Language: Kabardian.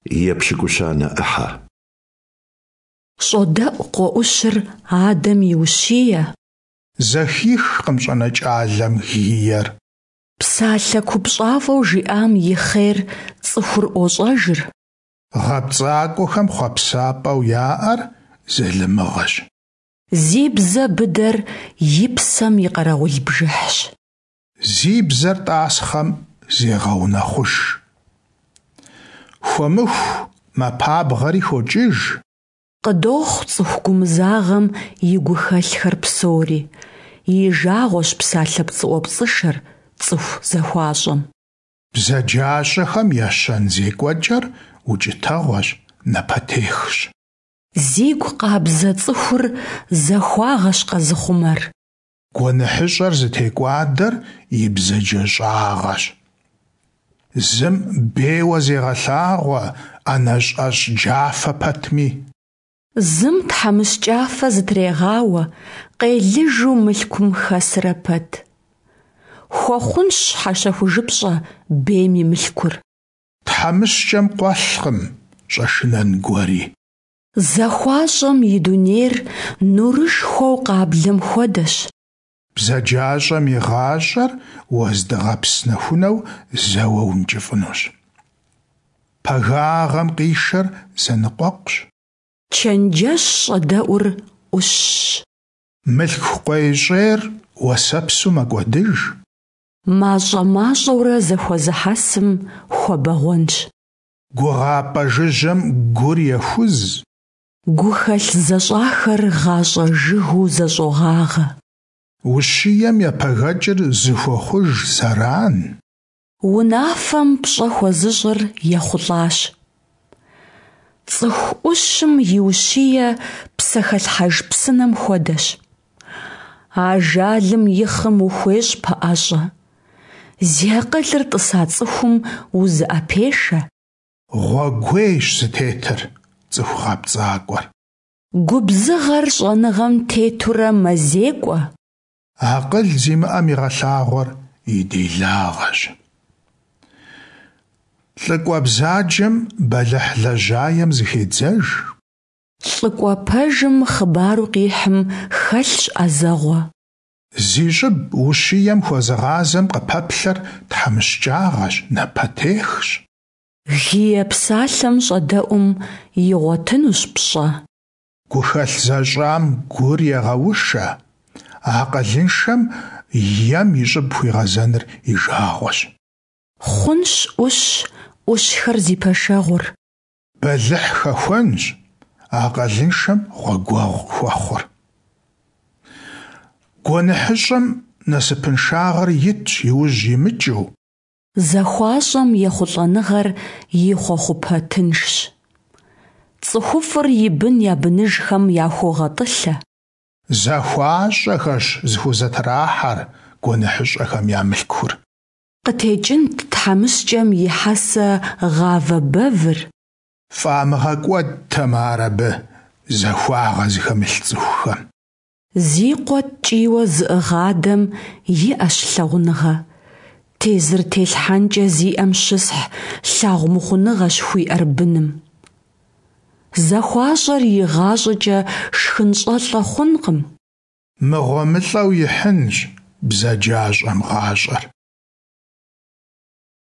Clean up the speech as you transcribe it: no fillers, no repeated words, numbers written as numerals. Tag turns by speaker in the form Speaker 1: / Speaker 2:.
Speaker 1: Епщыкӏущанэ ӏыхьэ.
Speaker 2: Щӏодэӏу къуэ ӏущыр адэм и ущие.
Speaker 3: Зэхихкъым щӏэнэкӏалэм гиер.
Speaker 2: Псалъэ купщӏафӏэу жиӏам и хъер цӏыхур ӏуощӏэжыр.
Speaker 3: ГъэпцӀакӀуэхэм хъуэпсапӀэу яӀэр залымыгъэщ.
Speaker 2: Зи бзэ быдэр и псэм и къэрэгъул бжыхьщ.
Speaker 3: Зи бзэр тӀасхъэм зегъэунэхъуж. Хуэмыху мэпабгъэри хокӀыж.
Speaker 2: Къыдохъу цӀыху гумызагъэм и гухэлъхэр псори, и жагъуэщ псалъэ пцӀыӀуэпцӀышэр цӀыху захуащӀэм.
Speaker 3: БзаджащӀэхэм я щэн зекӀуэкӀэр укӀытэгъуэщ, напэтехщ.
Speaker 2: Зигу къабзэ цӀыхур захуагъэщ къэзыхъумэр.
Speaker 3: ГуэныхьыщӀэр зытекӀуадэр и бзаджэщӀагъэщ. Зым бейуэ зегъэлъагъуэ, ӀэнэщӀ джафэ пэтми.
Speaker 2: Зым тхьэмыщкӀафэ зытрегъауэ, къелыжу мылъкум хэсрэ пэт. Хуэхъунщ щхьэщэхужыпщӀэ бейм и мылъкур.
Speaker 3: ТхьэмыщкӀэм къуэлъкъым щӀэшынэн гуэри.
Speaker 2: ЗахуащӀэм и дунейр нурышхуэу къаблэм хуэдэщ.
Speaker 3: БзаджащӀэм и гъащӀэр уэздыгъэпс нэхунэу зэуэ ункӀыфӀынущ. Пагагъэм къишэр зэныкъуэкъущ.
Speaker 2: Чэнджэщ щӀэдэӀур Ӏущщ.
Speaker 3: Мылъку къуейщӀейр уэсэпсу мэкӀуэдыж.
Speaker 2: МащӀэ-мащӀэурэ зэхуэзыхьэсым хуэбэгъуэнщ.
Speaker 3: ГугъапӀэ жыжьэм гур ехуз.
Speaker 2: Гухэлъ зэщӀахэр гъащӀэ жыгыу зэщӀогъагъэ.
Speaker 3: Ущием епэгэкӀыр зыхуохъуж зэран.
Speaker 2: Унафэм пщӀэ хуэзыщӀыр ехъулӀащ. ЦӀыху Ӏущым и ущие псэхэлъхьэж псынэм хуэдэщ. Ажалым и хъым ухуещӀ пэӀэщӀэ. Зи акъылыр тӀыса цӀыхум узыӀэпешэ.
Speaker 3: Гъуэгуейщ зытетыр цӀыху гъэпцӀакӀуэр.
Speaker 2: Губзыгъэр щӀэныгъэм тетурэ мэзекӀуэ.
Speaker 3: Акъыл зимыӀэм игъэлъагъуэр и делагъэщ. ЛӀыкӀуэ бзаджэм бэлыхь лэжьаем зыхедзэж.
Speaker 2: ЛӀыкӀуэ пэжым хъыбару къихьым хэлъщ Ӏэзэгъуэ.
Speaker 3: Зи щӀыб ущием хуэзыгъазэм къыпэплъэр тхьэмыщкӀагъэщ, напэтехщ.
Speaker 2: Гие псалъэм щӀэдэӀум игъуэтынущ пщӀэ.
Speaker 3: Гухэлъ зэщӀам гур егъэушэ, акъылыншэм ем и щӀыб хуигъэзэныр и жагъуэщ.
Speaker 2: Хъунщ Ӏущ, Ӏущхэр зи пэшэгъур.
Speaker 3: Бэлыхь хэхуэнщ акъылыншэм гъуэгуэгъу хуэхъур. ГуэныхьыщӀэм насыпыншагъэр итщ и ужь имыкӀыу.
Speaker 2: ЗахуащӀэм ехъулӀэныгъэр и хъуэхъупэ тыншщ. ЦӀыхуфӀыр и бын я быныжхэм яхуогъэтӀылъэ.
Speaker 3: ЗахуащӀэхэрщ зыхузэтрахьэр гуэныхьыщӀэхэм я мылъкур.
Speaker 2: КъытекӀынт тхьэмыщкӀэм и хьэсэ гъавэ бэвыр.
Speaker 3: ФӀамыгъэкӀуэдтэмэ ар абы захуагъэ зыхэмылъ цӀыхухэм.
Speaker 2: Зи къуэ ткӀийуэ зыӀыгъ адэм иӀэщ лъагъуныгъэ. Тезыр телъхьэнкӀэ зиӀэм щысхь лъагъумыхъуныгъэщ хуиӀэр быным. ЗахуащӀэр игъащӀэкӀэ шхынщӀэлӀэ хъункъым.
Speaker 3: МыгъуэмылӀэу ихьынщ бзаджащӀэм гъащӀэр.